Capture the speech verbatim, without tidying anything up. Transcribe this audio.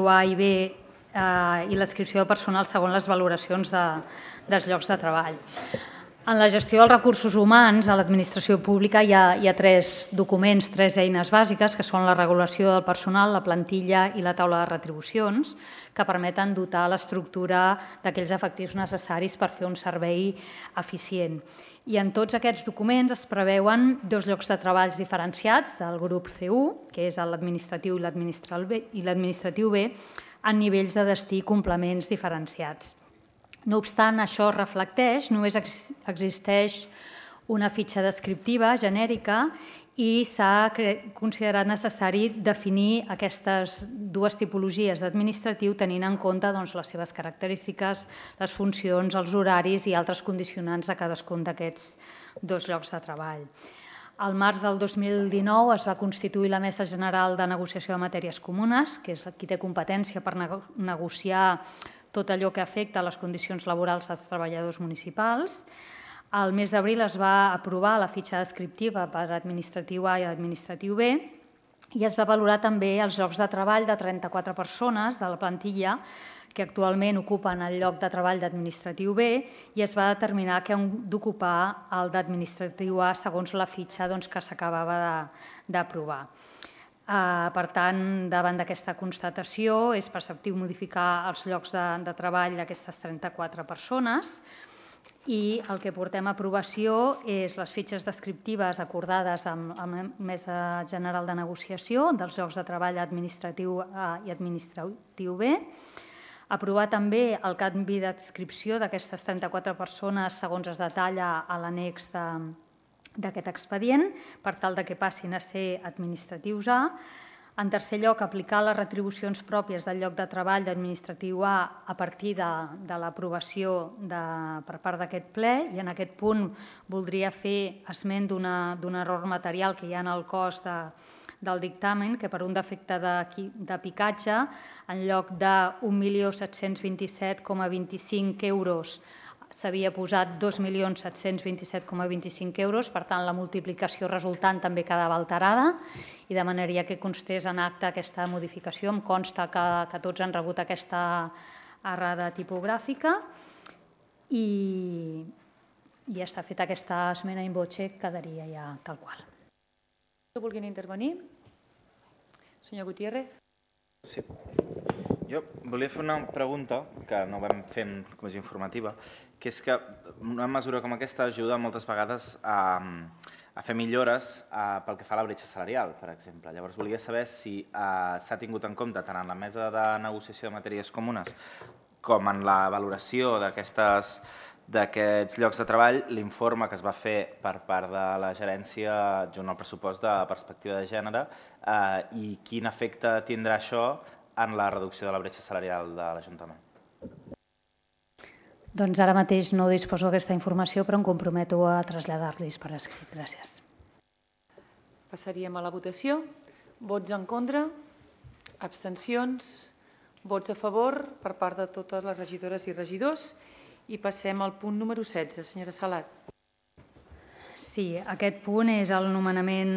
A i B eh, i l'adscripció de personal segons les valoracions de, dels llocs de treball. En la gestió dels recursos humans, a l'administració pública hi ha, hi ha tres documents, tres eines bàsiques, que són la regulació del personal, la plantilla i la taula de retribucions, que permeten dotar l'estructura d'aquells efectius necessaris per fer un servei eficient. I en tots aquests documents es preveuen dos llocs de treball diferenciats del grup C u, que és l'administratiu i l'administratiu B, en nivells de destí i complements diferenciats. No obstant, això es reflecteix, només existeix una fitxa descriptiva genèrica i s'ha considerat necessari definir aquestes dues tipologies d'administratiu tenint en compte doncs, les seves característiques, les funcions, els horaris i altres condicionants de cadascun d'aquests dos llocs de treball. Al març del dos mil dinou es va constituir la Mesa General de Negociació de Matèries Comunes, que és qui té competència per negociar tot allò que afecta les condicions laborals dels treballadors municipals. Al mes d'abril es va aprovar la fitxa descriptiva per administratiu A i administratiu B i es va valorar també els llocs de treball de trenta-quatre persones de la plantilla que actualment ocupen el lloc de treball d'administratiu B i es va determinar que han d'ocupar el d'administratiu A segons la fitxa doncs, que s'acabava d'aprovar. Uh, per tant, davant d'aquesta constatació, és preceptiu modificar els llocs de, de treball d'aquestes trenta-quatre persones i el que portem a aprovació és les fitxes descriptives acordades amb, amb la Mesa General de Negociació dels llocs de treball administratiu A i administratiu B, aprovar també el canvi d'adscripció d'aquestes trenta-quatre persones segons es detalla a l'annex de d'aquest expedient, per tal que passin a ser administratius A. En tercer lloc, aplicar les retribucions pròpies del lloc de treball d'administratiu A a partir de, de l'aprovació per part d'aquest ple i en aquest punt voldria fer esment d'un error material que hi ha en el cost de, del dictamen, que per un defecte de, de picatge, en lloc d'un milió set-cents vint-i-set coma vint-i-cinc euros s'havia posat dos milions set-cents vint-i-set coma vint-i-cinc euros, per tant, la multiplicació resultant també quedava alterada i demanaria que constés en acte aquesta modificació. Em consta que, que tots han rebut aquesta errada tipogràfica i, i està feta aquesta esmena in voce, quedaria ja tal qual. Vulguin intervenir? Senyor Gutiérrez. Sí. Jo volia fer una pregunta que no vam fer en comissió informativa, que és que una mesura com aquesta ajuda moltes vegades a, a fer millores a, pel que fa a la bretxa salarial, per exemple. Llavors volia saber si eh, s'ha tingut en compte tant en la mesa de negociació de matèries comunes com en la valoració d'aquestes d'aquests llocs de treball, l'informe que es va fer per part de la gerència junt al pressupost de perspectiva de gènere eh, i quin efecte tindrà això en la reducció de la bretxa salarial de l'Ajuntament. Doncs ara mateix no disposo d'aquesta informació, però em comprometo a traslladar-los per escrit. Gràcies. Passaríem a la votació. Vots en contra, abstencions, vots a favor per part de totes les regidores i regidors. I passem al punt número setze. Senyora Salat. Sí, aquest punt és el nomenament